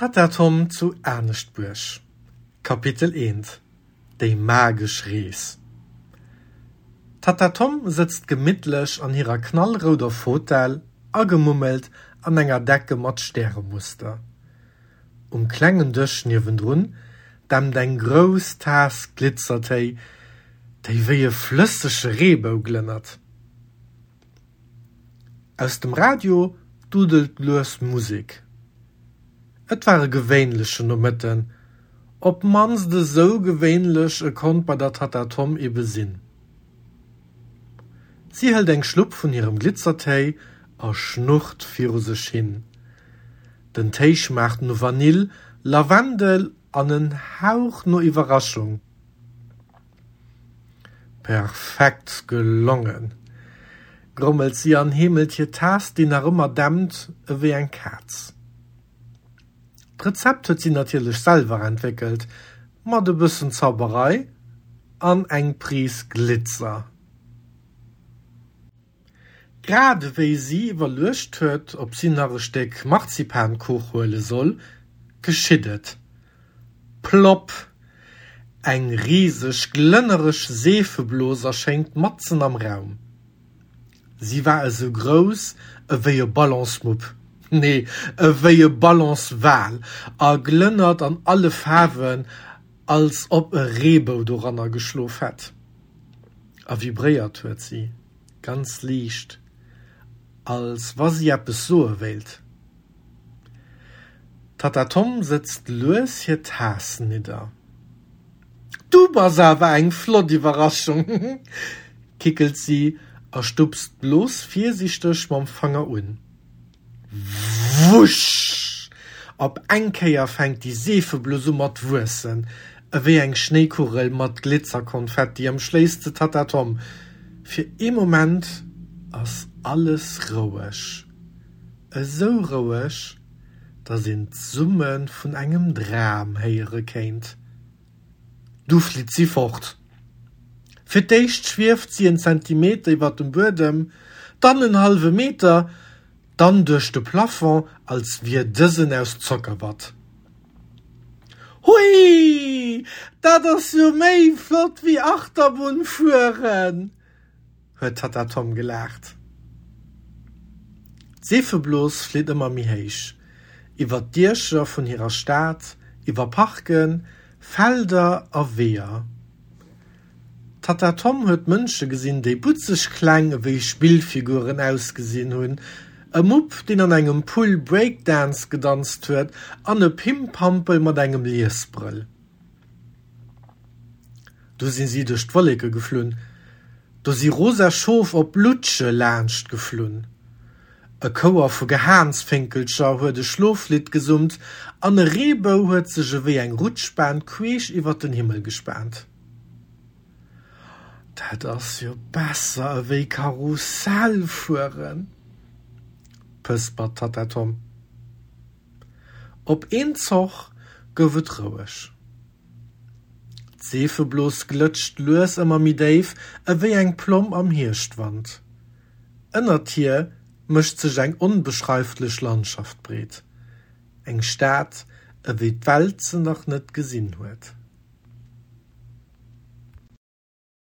D'Tatta Tom zu Aneschtbuerg Kapitel 1 Déi magesch Rees D'Tatta Tom sëtzt gemittlech an hirer knallrouder Fotell, agemummelt an enger Decke mat Stäremuster. Um klengen Dësch niewendrun dämpt eng grouss Taass Glitzertéi, déi wéi e flëssege Reebou glënnert. Aus dem Radio dudelt lues Musek. Et war e gewéinlechen Nomëtten, op d'mannst esou gewéinlech e konnt bei der Tatta Tom ebe sinn. Si hëlt eng Schlupp vun hirem Glitzertéi a schnurrt viru sech hin. Den Téi schmaacht no Vanill, Lavendel an en Hauch no Iwwerraschung. Perfekt gelongen! Grommelt si an heemelt hir Taass, déi nach ëmmer dämpt ewéi eng Kaz. D'Rezept huet si natierlech selwer entwéckelt, mat e bëssen Zauberei an eng Pris Glitzer. Grad ewéi si iwwerluecht huet, ob si nach e Stéck Marzipankuch huele soll, geschitt et, Plopp! Eng riseg, glënnereg Seefeblos erschéngt matzen am Raum. Si war esou grouss ewéi e Ballonsmupp, nee, ewéi e Ballonswal, a glënnert an alle Faarwen, als ob e Reebou doranner geschlof hätt. A vibréiert huet si, ganz liicht, als wa si eppes soe wéilt. D'Tatta Tom sëtzt lues hir Taass nidder. Du bass awer eng flott Iwwerraschung, kickelt si a stupst d'Blos virsiichteg mam Fanger un. Wusch! Op eng Kéier fänkt déi Seefeblos u mat wuessen, ewéi eng Schnéikugel mat Glitzerkonfetti ëmschléisst se d'Tatta Tom. Fir ee Moment ass alles roueg. Esou roueg, datt een d'Summe vun engem Dram héiere kéint. Du flitt si fort. Fir d'éischt schwieft si en Zentimeter iwwer dem Buedem, dann en hallwe Meter, dann duerch de Plafond, als wier dësen aus Zockerwatt. Hui! Dat ass jo méi flott wéi Achterbunn fueren! huet d'Tatta Tom gelaacht. D'Seefeblos flitt ëmmer méi héich, iwwer d'Diecher vun hirer Stad, iwwer Parken, Felder a Weeër. D'Tatta Tom huet Mënsche gesinn, déi butzeg kleng ewéi Spillfiguren ausgesinn hunn, e Mupp, deen an engem Pull Breakdance gedanzt huet an e Pimpampel mat engem Liesbrëll. Du sinn si duerch d'Wolleke geflunn, do si rosa Schof op Lutsche laanscht geflunn. E Chouer vu Gehaansfénkelcher huet e Schloflidd gesummt an e Reebou huet sech ewéi eng Rutschbahn queesch iwwer den Himmel gespaant. Dat ass jo besser ewéi Karussell fueren, pëspert d'Tatta Tom. Op een Zoch gouf et roueg. D'Seefeblos glëtscht lues ëmmer méi déif, ewéi eng Plomm am Hierschtwand. Ënnert hir mécht sech eng onbeschreiflech Landschaft breet, eng Stad, ewéi d'Welt se nach net gesinn huet.